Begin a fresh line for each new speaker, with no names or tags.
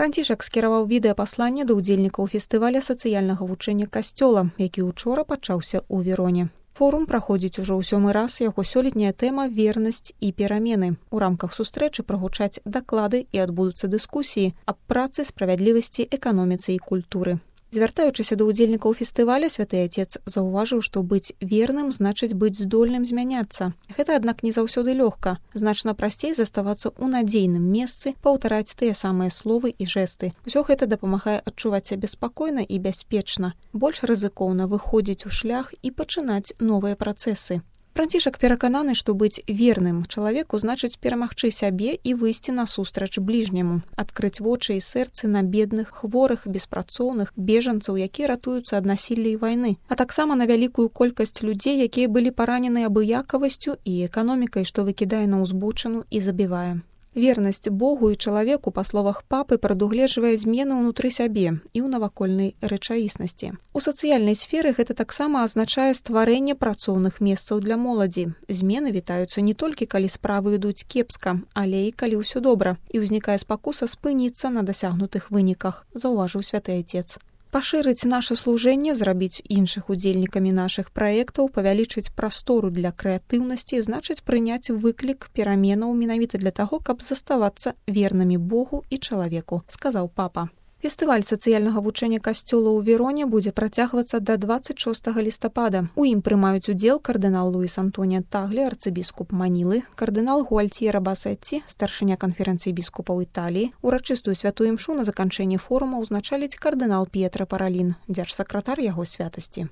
Францішак скіраваў відэапасланне да ўдзельнікаў фестываля сацыяльнага вучэння касцёла, які учора пачаўся ў Вероне. Форум праходзіць ужо ў 7-й раз, яго сёлетняя тэма «Вернасць і перамены». У рамках сустрэчы прагучаць даклады і адбудуцца дыскусіі аб працы, справядлівасці, эканоміцы і культуры. Звяртаючыся да ўдзельнікаў фестываля, святы Отец заўважыў, што быць верным значыць быць здольным змяняцца. Гэта, аднак, не заўсёды лёгка. Значна прасцей заставацца ў надзейным месцы, паўтараць тыя самыя словы і жэсты. Усё гэта дапамагае адчуваць сябе спакойна і бяспечна. Больш рызыкоўна выходзіць у шлях і пачынаць новыя працэсы. Францішак перакананы, што быць верным чалавеку значыць перамагчы сябе і выйсці насустрач бліжняму, адкрыць вочы і сэрцы на бедных, хворых, беспрацоўных, бежанцаў, якія ратуюцца ад насілля і вайны, а таксама на вялікую колькасць людзей, якія былі паранены абыякавасцю і эканомікай, што выкідае на ўзбочыну і забівае. Вернасць Богу і чалавеку, па словах папы, прадугледжвае змены ўнутры сябе і ў навакольнай рэчаіснасці. У сацыяльнай сферы гэта таксама азначае стварэнне працоўных месцаў для моладзі. Змены вітаюцца не толькі, калі справы ідуць кепска, але і калі ўсё добра, і ўзнікае спакуса спыніцца на дасягнутых выніках, заўважыў святы Отец. Пашырыць наша служэнне, зрабіць іншых удзельнікамі нашых праектаў, павялічыць прастору для крэатыўнасці, значыць прыняць выклік пераменаў менавіта для таго, каб заставацца вернымі Богу і чалавеку, сказаў папа. Фестываль сацыяльнага вучэння касцёла ў Вероне будзе працягвацца да 26 лістапада. У ім прымаюць удзел кардынал Луіс Антоніа Таглі, арцыбіскуп Манілы, кардынал Гуальтьера Басетці, старшыня канферэнцыі біскупаў Італіі. Урачыстую святую імшу на заканчэнні форума ўзначаліць кардынал П'етра Паралін, дзяржсакратар яго святасці.